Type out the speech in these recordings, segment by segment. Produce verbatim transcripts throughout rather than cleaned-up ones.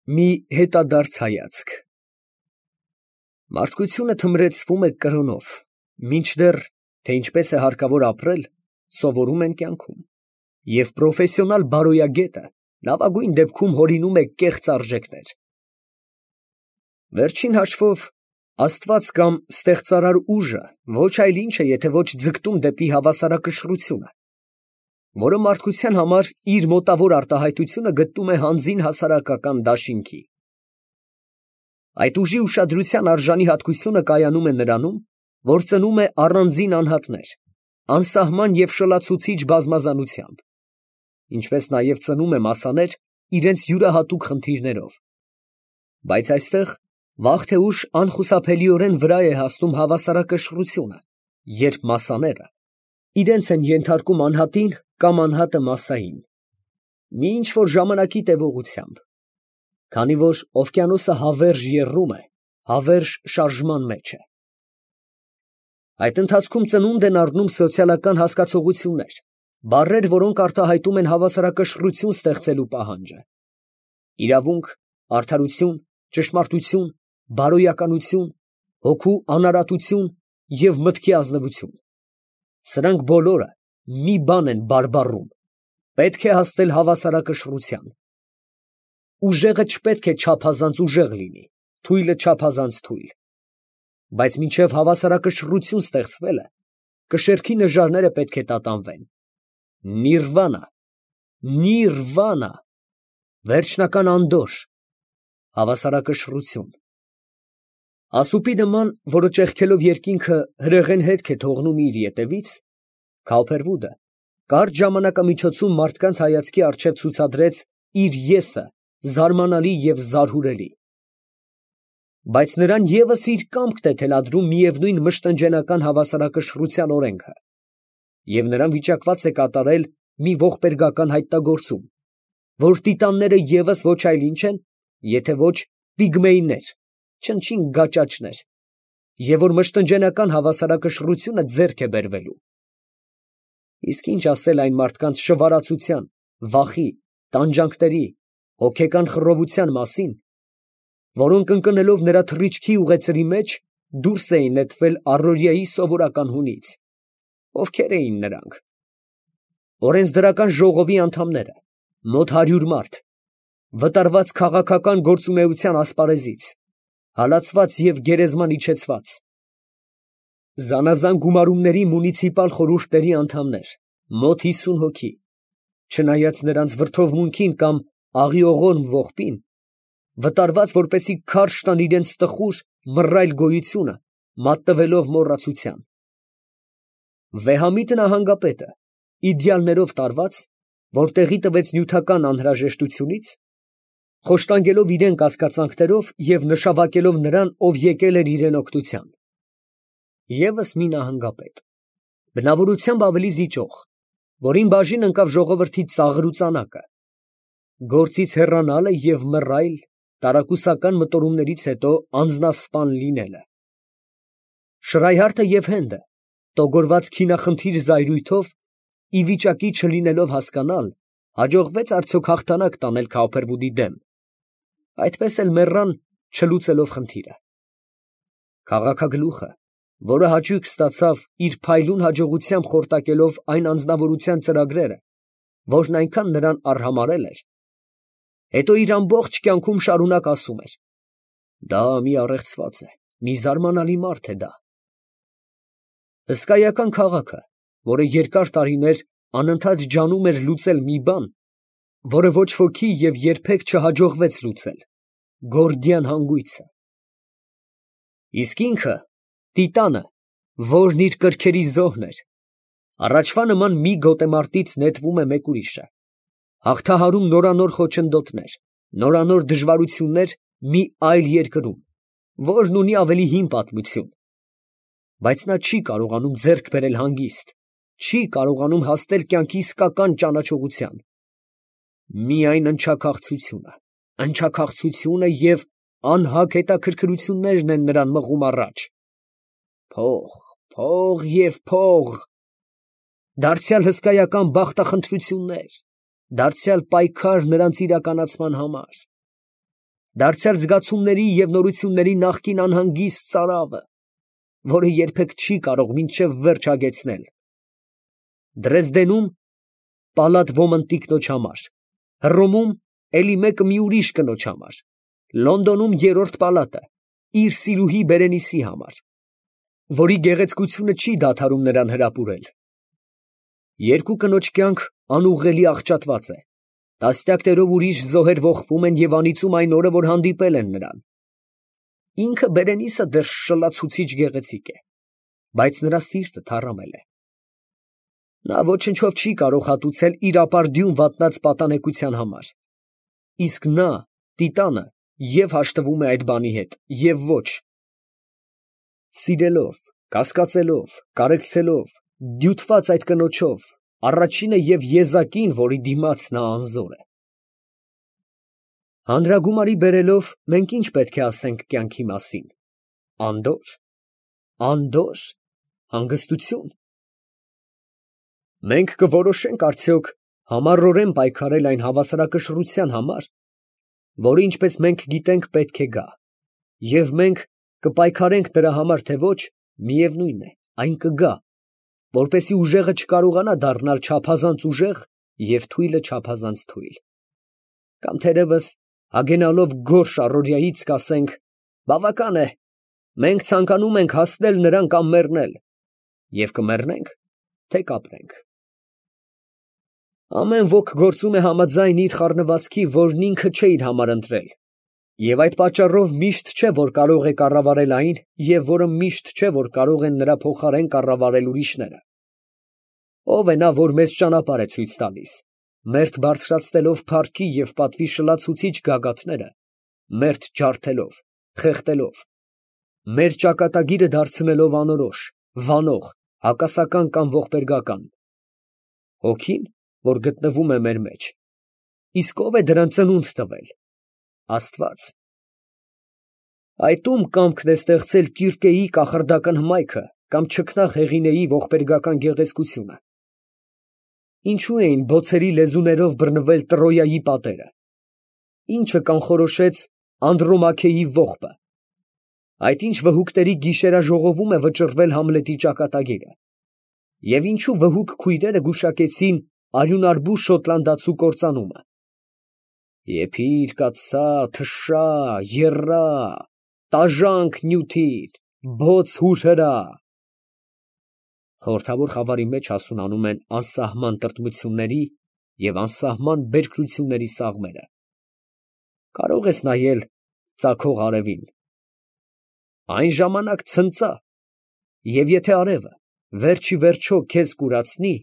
Մի հետադարձ հայացք։ Մարդկությունը թմրեցվում է կրոնով, մինչդեռ, թե ինչպես է հարկավոր ապրել, սովորում են կյանքում, և պրոֆեսիոնալ բարոյագետը լավագույն դեպքում հորինում է կեղծ արժեքներ։ Վերջին հաշվով, Աստված կամ ստեղծարար ուժը ոչ այլ ինչ է, եթե ոչ ձգտում դեպի հավասարակշռությունը, որը մարդկության համար իր մոտավոր արտահայտությունը գտնում է հանձին հասարակական դաշինքի։ Այդ ուժի ուշադրության արժանի հատկությունը կայանում է նրանում, որ ծնում է առանձին անհատներ, անսահման և շլացուցիչ բազմազանությամբ, ինչպես նաև ծնում է մասաներ իրենց յուրահատուկ խնդիրներով։ Բայց այստեղ վաղ թե ուշ անխուսափելիորեն վրա է հասնում հավասարակշռությունը, երբ մասաները իրենց են ենթարկում անհատին կամ անհատը մասսային, մի ինչ֊որ ժամանակի տևողությամբ, քանի որ օվկիանոսը հավերժ եռում է, հավերժ շարժման մեջ է։ Այդ ընթացքում ծնունդ են առնում սոցիալական հասկացողություններ, բառեր, որոնք արտահայտում են հավասարակշռություն ստեղծելու պահանջը։ Իրավունք, արդարություն, ճշմարտություն, բարոյականություն, հոգու անարատություն և մտքի ազնվություն։ Սրանք բոլորը մի բան են բարբառում. պետք է հասնել հավասարակշռության։ Ուժեղը չպետք է չափազանց ուժեղ լինի, թույլը չափազանց թույլ։ Բայց մինչև հավասարակշռություն ստեղծվելը, կշեռքի նժարները պետք է տատանվեն։ Նիրվանա, նիրվանա, վերջնական անդորր, հավասարակշռություն։ Ասուպի նման, որը ճեղքելով երկինքը հրեղեն հետք է թողնում իր ետևից, Քավփերվուդը կարճ ժամանակամիջոցում մարդկանց հայացքի առջև ցուցադրեց իր եսը զարմանալի և զարհուրելի։ Բայց նրան ևս իր կամքն է թելադրում միևնույն մշտնջենական հավասարակշռության օրենքը, և նրան վիճակված է կատարել մի ողբերգական հայտնագործում, որ տիտանները ևս ոչ այլ ինչ են, եթե ոչ պիգմեյներ, չնչին գաճաճներ, և որ մշտնջենական հավասարակշռությունը ձեռք է բերվելու։ Իսկ ինչ ասել այն մարդկանց շվարածության, վախի, տանջանքների, հոգեկան խռովության մասին, որոնք ընկնելով նրա թռիչքի ուղեծրի մեջ, դուրս էին նետվել առօրյայի սովորական հունից։ Ովքեր էին նրանք։ Օրենսդրական ժողովի անդամները, մոտ հարյուր մարդ, վտարված քաղաքական գործունեության ասպարեզից, հալածված և գերեզման իջեցված, զանազան գումարումների մունիցիպալ խորհուրդների անդամներ, մոտ հիսուն հոգի, չնայած նրանց վրդովմունքին կամ աղիողորմ ողբին, վտարված, որպեսզի քարշ տան իրենց տխուր, մռայլ գոյությունը, մատնվելով մոռացության։ Վեհամիտ նահանգապետը, իդեալներով տարված, որ տեղի տվեց նյութական անհրաժեշտությունից, խոշտանգելով իրան կասկածանքներով և նշավակելով նրան, ով եկել էր իրան օգնության։ ԵՒս մի նահանգապետ, բնավորությամբ ավելի զիջող, որին բաժին ընկավ ժողովրդի ծաղր ու ծանակը, գործից հեռանալը և մռայլ, տարակուսական մտորումներից հետո անձնասպան լինելը։ Շրայհարդը և Հենդը, տոգորված քինախնդիր զայրույթով, ի վիճակի չլինելով հասկանալ, հաջողվեց արդյոք հաղթանակ տանել Քավփերվուդի դեմ, այդպես էլ մեռան, չլուծելով խնդիրը։ Քաղաքագլուխը, որը հաճույք ստացավ իր փայլուն հաջողությամբ խորտակելով այն անձնավորության ծրագրերը, որն այնքան նրան արհամարհել էր, հետո իր ամբողջ կյանքում շարունակ ասում էր. «Դա մի առեղծված է, մի զարմանալի մարդ է դա»։ Հսկայական քաղաքը, որը երկար տարիներ անընդհատ ջանում էր լուծել մի բան, որը ոչ ոքի և երբեք չհաջողվեց լուծել, գորդիան հանգույցը։ Իսկ ինքը, տիտանը, որն իր կրքերի զոհն էր, առաջվա նման մի գոտեմարտից նետվում է մեկ ուրիշը, հաղթահարում նորանոր խոչընդոտներ, նորանոր դժվարություններ մի այլ երկրում, որն ունի ավելի հին պատմություն, բայց նա չի կարողանում ձեռք բերել հանգիստ, չի կարողանում հասնել կյանքի իսկական ճանաչողության։ Միայն ընչաքաղցությունը, ընչաքաղցությունը և անհագ հետաքրքրություններն են նրան մղում առաջ։ Փող, փող և փող, դարձյալ հսկայական բախտախնդրություններ, դարձյալ պայքար նրանց իրականացման համար։ դարձյալ զգացումների և նորությունների նախկին անհանգիստ ծարավը, որը երբեք չի կարող մինչև վերջ հագեցնել։ Դրեզդենում պալատ ոմն տիկնոջ համար, Հռոմում էլի մեկը մի ուրիշ կնոջ համար, Լոնդոնում երրորդ պալատը իր սիրուհի Բերենիսի համար, որի գեղեցկությունը չի դադարում նրան հրապուրել։ Երկու կնոջ կյանք անուղղելի աղճատված է, տասնյակներով ուրիշ զոհեր ողբում են և անիծում այն օրը, որ հանդիպել են նրան։ Ինքը Բերենիսը դեռ շլացուցիչ գեղեցիկ է, բայց նրա սիրտը թառամել է։ Նա ոչնչով չի կարող հատուցել իր ապարդյուն վատնած պատանեկության համար, իսկ նա, տիտանը, և հաշտվում է այդ բանի հետ, և ոչ։ Սիրելով, կասկածելով, կարեկցելով, դյութված այդ կնոջով, առաջինը և եզակին, որի դիմաց նա անզոր է։ Հանրագումարի բերելով, մենք ի՞նչ պետք է ասենք կյանքի մասին, անդո՞ր, անդո՞ր, հանգստությո՞ւն։ Մենք կորոշե՞նք արդյոք համառորեն պայքարել այն հավասարակշռության համար, որը, ինչպես մենք գիտենք, պետք է գա, և մենք կպայքարենք դրա համար, թե ոչ, միևնույն է, այն կգա, որպեսզի ուժեղը չկարողանա դառնալ չափազանց ուժեղ և թույլը չափազանց թույլ։ Կամ թերևս, հագենալով գորշ առօրյայից, կասենք. բավական է, մենք ցանկանում ենք հասնել նրան կամ մեռնել, և կմեռնենք, թե կապրենք։ Ամեն ոք գործում է համաձայն իր խառնվածքի, որն ինքը չէ իր համար ընտրել, և այդ պատճառով միշտ չէ, որ կարող է կառավարել այն, և որը միշտ չէ, որ կարող են նրա փոխարեն կառավարել ուրիշները։ Ո՞վ է նա, որ մեզ ճանապարհ է ցույց տալիս, մերթ բարձրացնելով փառքի և պատվի շլացուցիչ գագաթները, մերթ ջարդելով, խեղդելով, մեր ճակատագիրը դարձնելով անորոշ, վանող, հակասական կամ ողբերգական։ Հոգի՞ն, որ գտնվում է մեր մեջ, իսկ ո՞վ է դրան ծնունդ տվել։ Աստված։ Այդ ո՞ւմ կամքն է ստեղծել Կիրկեի կախարդական հմայքը կամ չքնաղ Հեղինեի ողբերգական գեղեցկությունը։ Ինչո՞ւ էին բոցերի լեզուներով բռնվել Տրոյայի պատերը։ Ի՞նչը կանխորոշեց Անդրոմաքեի ողբը։ Այդ ի՞նչ վհուկների գիշերաժողովում է վճռվել Համլետի ճակատագիրը։ Եվ ինչո՞ւ վհուկ քույրերը գուշակեցին արյունարբու շոտլանդացու կործանումը։ Եփի՛ր, կաթսա, թշա, եռա, տաժանք նյութիր, բոց հուր հրա։ Խորհրդավոր խավարի մեջ հասունանում են անսահման տրտմությունների և անսահման բերքրությունների սաղմերը։ Կարո՞ղ ես նայել ծագող արևին։ Այն ժամանակ ցնծա, և եթե արևը վերջիվերջո քեզ կուրացնի,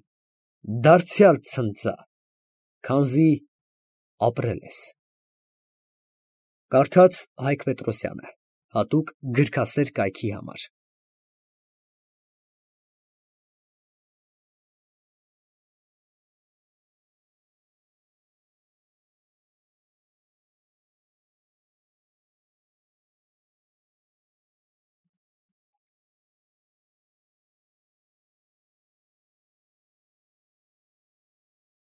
դարձյալ ցնծա, քանզի ապրել ես։ Կարդաց Հայկ Պետրոսյանը, հատուկ գրքասեր կայքի համար։